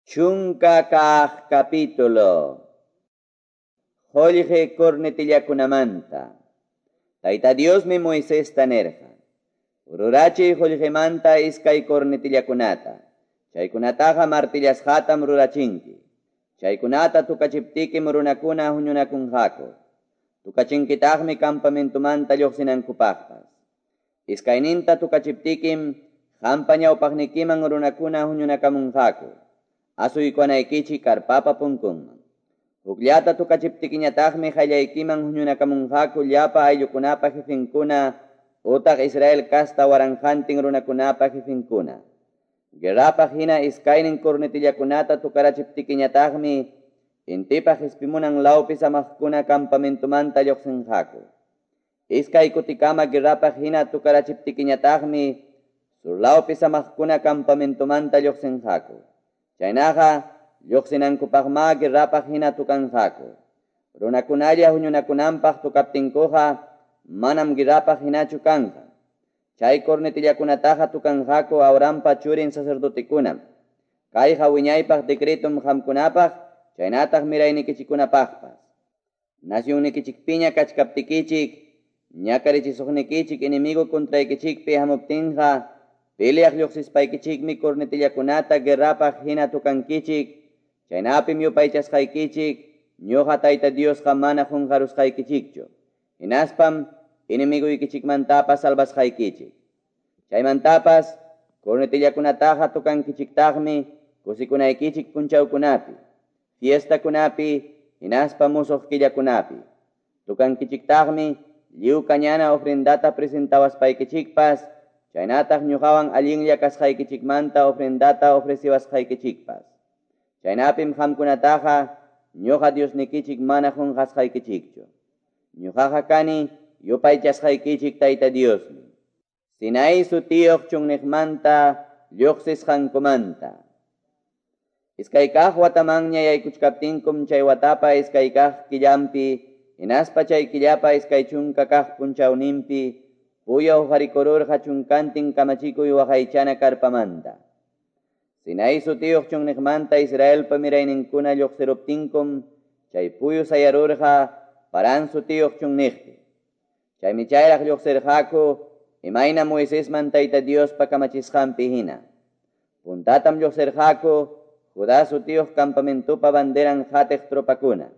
Chunka kaq capítulo. Qullqi cornetillakunamanta. Tayta Diosmi Moisesta nirqa: Rurachiy qullqimanta iskay cornetillakunata. Chaykunataqa martillasqatam rurachinki. Chaykunata tukachiptikim runakuna huñunakunqaku. Tukachinkitaqmi campamentomanta lluqsinankupaqpas. Iskayninta tukachiptikim qampa ñawpaqnikiman runakuna huñunakamunqaku. Asuykunaykichik karpapa punkunman. Hukllata tukachiptikiñataqmi qallaykiman huñunakamunqaku llapa ayllukunapa jefenkuna utaq Israel kasta waranqantin runakunapa jefenkuna. Guerrapaq hina iskaynin cornetillakunata tukarachiptikiñataqmi intipa qispimunan lawpi samaqkuna campamentomanta lluqsinqaku. Iskay kutikama guerrapaq hina tukarachiptikiñataqmi surlawpi samaqkuna campamentomanta lluqsinqaku. Chaynaqa lluqsinankupaqma guerrapaq hina tukanqaku. Runakunalla huñunakunanpaq tukaptinkuqa manam guerrapaq hinachu kanqa. Chay cornetillakunataqa tukanqaku Aaronpa churin sacerdotekunam. Kayqa wiñaypaq decretum qamkunapaq chaynataq miraynikichikkunapaqpas. Nacionnikichikpiña kachkaptikichik, ñakarichisuqnikichik enemigo contraykichikpi hamuptinqa, peleaq lluqsispaykichikmi cornetillakunata guerrapaq hina tukankichik, chaynapim yupaychasqaykichik, ñuqa Tayta Diosqa mana qunqarusqaykichikchu. Hinaspam enemiguykichikmantapas salvasqaykichik. Chaymantapas cornetillakunataqa tukankichiktaqmi kusikunaykichik punchawkunapi, fiestakunapi, hinaspa musuq killakunapi. Tukankichiktaqmi lliw kañana ofrendata presentawaspaykichikpas, chaynataq ñuqawan allinlla kasqaykichikmanta ofrendata ofreciwasqaykichikpas. Chaynapim qamkunataqa ñuqa Diosnikichik mana qunqasqaykichikchu. Ñuqaqa kani yupaychasqaykichik Tayta Diosmi. Sinaí sutiyuq chunniqmanta lluqsisqankumanta. Iskay kaq watamanña yaykuchkaptinkum chay watapa iskay kaq killampi, hinaspa chay killapa iskay chunka kaq punchawninpi, puya uqarikururqa chunkantin kamachikuy waqaychana karpamanta. Sinaí sutiyuq chunniqmanta Israelpa mirayninkuna lluqsiruptinkum, chay puyu sayarurqa Parán sutiyuq chunniqpi. Chaymi chayraq lluqsirqaku imayna Moisesman Tayta Diospa kamachisqanpi hina. Puntatam lluqsirqaku Judá sutiyuq campamentopa banderan qatiq tropakuna.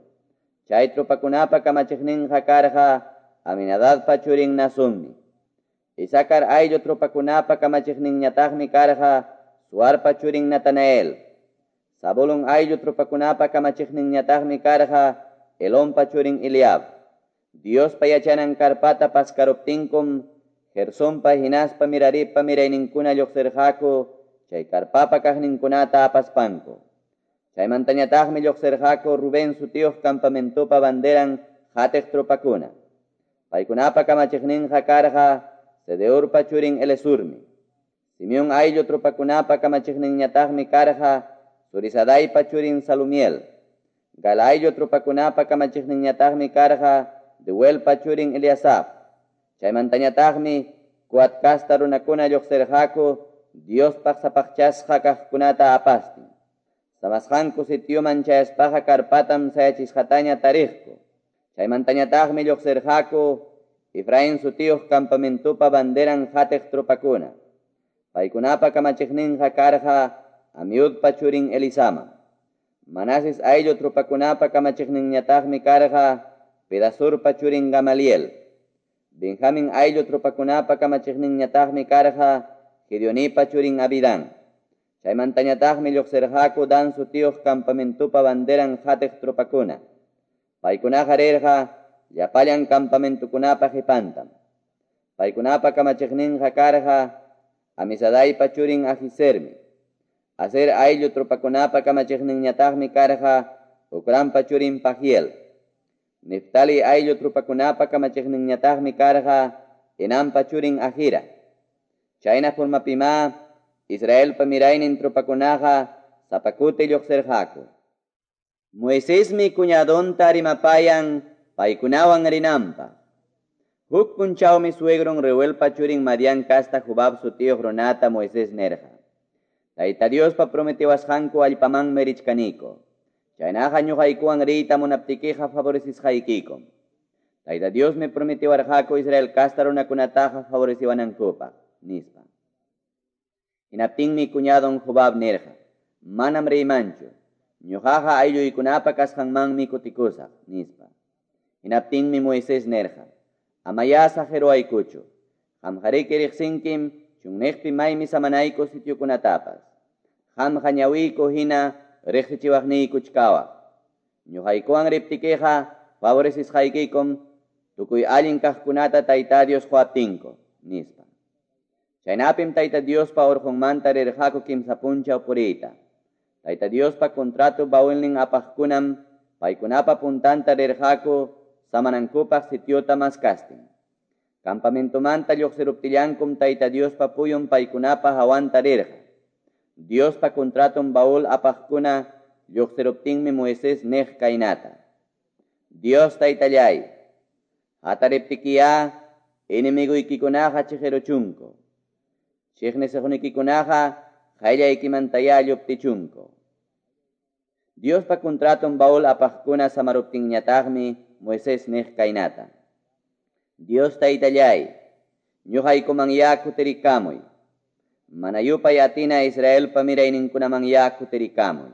Chay tropakunapa kamachiqninqa karqa Aminadadpa churin Nasummi. Isakar ayllu tropakunapa kamachiqninñataqmi karqa Suarpa churin Natanael. Zabulón ayllu tropakunapa kamachiqninñataqmi karqa Elonpa churin Eliab. Diospa yachanan karpata paskaruptinkum, Gersonpa hinaspa Meraripa mirayninkuna lluqsirqaku chay karpapa kaqninkunata apaspanku. Chaymantañataqmi lluqsirqaku Rubén sutiyuq campamentopa banderan qatiq tropakuna. Paykunapa kamachiqninqa karqa Sedeurpa churin Elesurmi. Simeón ayllu tropakunapa kamachiqninñataqmi karqa Zurisadaipa churin Salumiel. Gal ayllu tropakunapa kamachiqninñataqmi karqa Deuelpa churin Eliasaf. Chaymantañataqmi Coat kasta runakuna lluqsirqaku Diospaq sapaqchasqa kaqkunata apastin. Samasqanku sitioman chayaspaqa karpatam sayachisqataña tariqku. Chaymantañataqmi lluqsirqaku Efraín sutiyuq campamentopa banderan qatiq tropakuna. Paykunapa kamachiqninqa karqa Amiudpa churin Elisama. Manases ayllu tropakunapa kamachiqninñataqmi karqa Pedasurpa churin Gamaliel. Benjamín ayllu tropakunapa kamachiqninñataqmi karqa Gedeonipa churin Abidán. Chaymantañataqmi lluqsirqaku Dan sutiyuq campamentopa banderan qatiq tropakuna. Paykunaqa rirqa llapallan campamentokunapa qipantam. Paykunapa kamachiqninqa karqa Amisadaipa churin Ahisermi. Aser ayllu tropakunapa kamachiqninñataqmi karqa Ocranpa churin Pagiel. Neftali ayllu tropakunapa kamachiqninñataqmi karqa Enanpa churin Ahira. Chayna formapima Israelpa miraynin tropakunaqa sapakuti lluqsirqaku. Moisesmi cuñadonta rimapayan paykunawan rinanpaq. Huk punchawmi suegron Reuelpa churin Madián kasta Jobab sutiyuq runata Moisés nirqa: Tayta Diospa prometewasqanku allpamanmi richkaniku. Chaynaqa ñoqaykuwan riyta munaptikiqa favorecesqaykikum. Tayta Diosmi prometewarqaku Israel casta runakunataqa favoreciwanankupaq, nispa. Hinaptinmi cuñadon Jobab nirqa: Manam riymanchu. Ñoqaqa aylluykunapa kasqanmanmi kutikusaq, nispa. Hinaptinmi Moisés nirqa: Amayá saqeruwaykuchu. Qamqariki riqsinkim chunniqpi maymi samanayku sitiokunatapas. Qamqa ñawiyku hina riqsichiwaqniykuch kawaq. Ñoqaykuwan riptikiqa favorecesqaykikum tukuy allin kaqkunata Tayta Dios quwaptinku, nispa. Chaynapim Tayta Diospa urqunmanta rirqaku kimsa punchaw puriyta. Tayta Diospa contrato baulnin apaqkunam paykunapa puntanta rirqaku samanankupaq sitiota maskastin. Campamentomanta lluqsiruptillankum Tayta Diospa puyun paykunapa hawanta rirqa. Diospa contraton baul apaqkuna lluqsiruptinmi Moisés niq kaynata: Dios Taytallay, hatariptikiyá enemigoykikunaqa chiqiruchunku. Chiqnisuqnikikunaqa qayllaykimantayá lluptichunku. Diospa contraton baul apaqkuna samaruptinñataqmi Moisés niq kaynata: Dios Taytallay, ñuqaykumanyá kutirikamuy. Mana yupay atina Israelpa mirayninkunamanyá kutirikamuy.